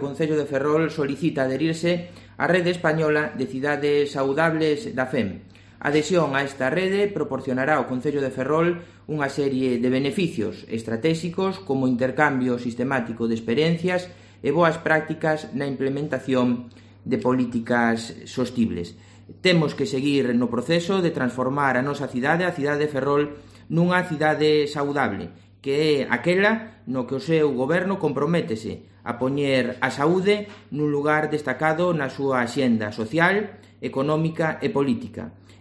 O Concello de Ferrol solicita adherirse á Rede Española de Cidades Saudables da FEM. A adhesión a esta rede proporcionará ao Concello de Ferrol unha serie de beneficios estratégicos como intercambio sistemático de experiencias e boas prácticas na implementación de políticas sostibles. Temos que seguir no proceso de transformar a nosa cidade, a cidade de Ferrol, nunha cidade saudable, que é aquela no que o seu goberno comprométese a poñer a saúde nun lugar destacado na súa axenda social, económica e política.